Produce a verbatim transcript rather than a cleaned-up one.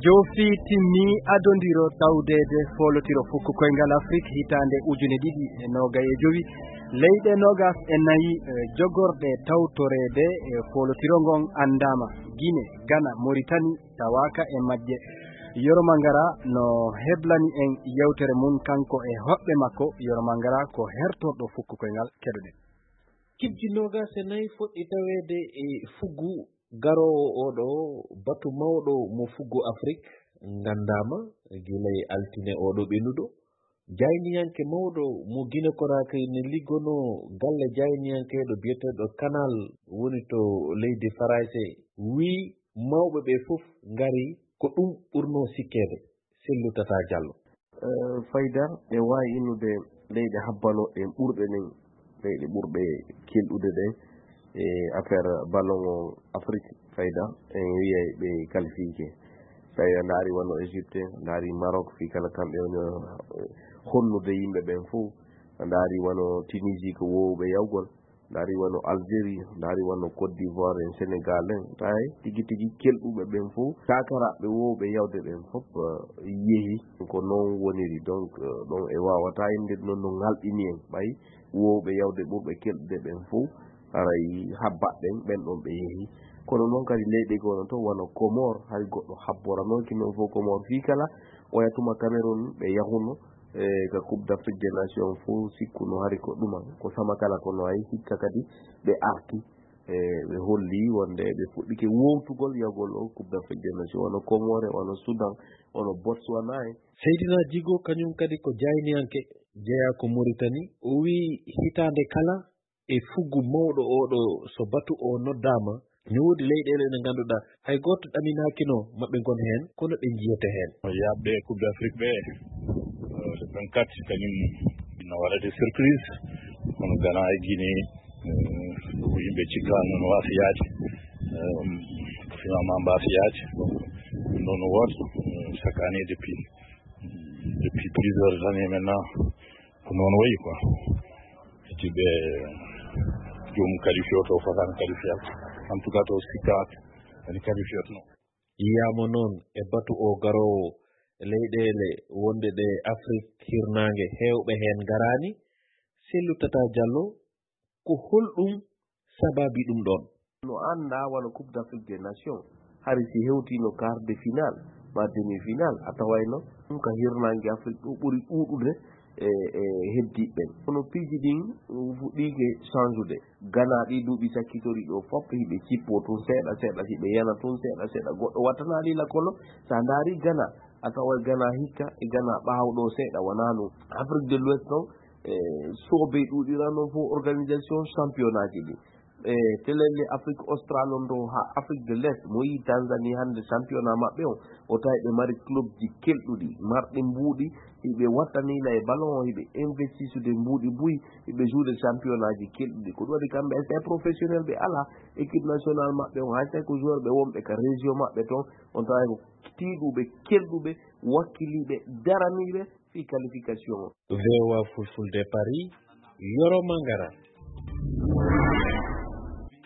Jofi timmi adondiro tawdeede foolotiro fukko koyngal Afrik hitaande ujune ɗiɗi e noogay e jowi. Leyɗe noogas e nayi, eh, jogorɗe tawtoreede, eh, foolotiro ngon anndaama. Gine, Gana, Moritani tawaaka e majje. Yoro Mangara no heblani en yewtere mum kanko e hoɓɓe makko. Yoro Mangara ko hertorɗo fukko koyngal, keɗoɗen. Kibji noogas e nayi foɗɗi taweede e fuggu garoowo oɗo batu mawɗo mo fuggu Afrik nganndaama gila e altine oɗo ɓennuɗo. Jayniyanke mawɗo mo Gine Konaakiri ne liggonoo galle jayniyankeeɗo biyeteeɗo Kanal woni to leydi Farayse wii mawɓe ɓe fof ngari ko ɗum ɓurnoo sikkeede. Sellu Tata Jallo. Eh, Fayda, ɓe waawi innude leyɗe habbanooɗe ɗen ɓurɗe ɗen, leyɗe ɓurɗe kelɗude ɗen e affaire ballon o Afrique, Fayda, en wiyay ɓe qualifié. Tawi a ndaari wano Égypte, a ndaari Maroc, fii kala kamɓe woni, eh, honnude yimɓe ɓen fof. A ndaari wano Tunisie ko woowɓe yawgol, ndaari wano Algérie, ndaari wano Côte d'Ivoire en, Sénégal en, tawi tigi tigi kelɗuɓe ɓen fof, takaraaɓe woowɓe yawde ɓen fof, eh, yehi. Ko noon woniri, donc, eh, ɗon e waawata innde noon no ŋalɗini en, ɓay woowɓe yawde ɓurɓe kelɗude ɓen fof, haray habbat ɓen, ɓen ɗon ɓe yehi. Kono noon kadi leyɗe goo no toon wano Comore, hay goɗɗo habboranooki noon fof Comore fii kala, oya tuma Cameroun ɓe yahuno, e ka Coupe d'Afrique des Nations fof sikkuno hari ko ɗuma, ko sama kala kono ay hikka kadi ɓe arti, e ɓe holli wonde ɓe fuɗɗike wowtugol yahgol o Coupe d'Afrique des Nations, wano Comore, wano Soudan, wano Botswana en. Seydina Djigo kañum kadi ko jayniyanke jeyaa ko Mauritanie. O wii hitaande kala e fuggu mawɗo oɗo so batu o noddaama, ne woodi leyɗeele ɗe ngannduɗaa hay gooto ɗaminaakino maɓɓe ngon heen, kono ɓe njiyete heen. Yaaɓɓe Coupe d'Afrique ɓe, euh, le vingt-quatre, kañum ina waɗa des surprises, kono Ghana e Guinée, euh, ko yimɓe cikkaano no waafi yaade, euh, ko finalement mbaafi yaade. Donc, noon woota, euh, chaque année depuis, depuis plusieurs années maintenant, ko noon wayi quoi. Eti ɓe joomum qualifié o to fotani qualifié. En tout cas, to sikkaaki, ene qualifié no. Yiyaama noon e batu o garoowo leyɗeele wonde ɗe Afrik hirnaange heewɓe heen ngaraani. Sellu Tata Jallo, ko holɗum sababi ɗum ɗoon? No anndaa wano Coupe d'Afrique des Nations, hari si hewtiino quart de finale, ma demi-finale, a tawayno ɗum ka hirnaange Afrik ɗo ɓuri ɗuuɗude e, e heddiiɓe ɓen. Kono piiji ɗin fuɗɗiike change-ude. Ghana ɗi duuɓi sakkitori ɗo fof, hiɓe cippoo tun seeɗa seeɗa, hiɓe yana tun seeɗa seeɗa. Goɗɗo wattanaali la kono, sa ndaari Ghana, a taway Ghana hikka e Ghana ɓaawo ɗo seeɗa, wanaa no Afrique de l'Ouest non, e, soobey ɗuuɗira non fof organisation championnat ji ɗi. E, telelle Afrique Austral on ɗo haa Afrique de l'Est, mo yii Tanzanie hannde championnat maɓɓe on, o tawi ɓe mari club ji kelɗuɗi, marɗi mbuuɗi, hiɓe wattaniila e ballon o, hiɓe investisude mbuuɗi buy, hiɓe jouer championnat ji kelɗuɗi. Ko ɗum waɗi kamɓe, c'est professionnel ɓe alaa, équipe nationale maɓɓe on, hay so ko joueur ɓe wonɓe ka région maɓɓe ton, on tawa ko tiiɗuɓe, kelɗuɓe, wakkiliiɓe, daraniiɓe fii qualification o. V O A Fulfulde Paris, Yoro Mangara.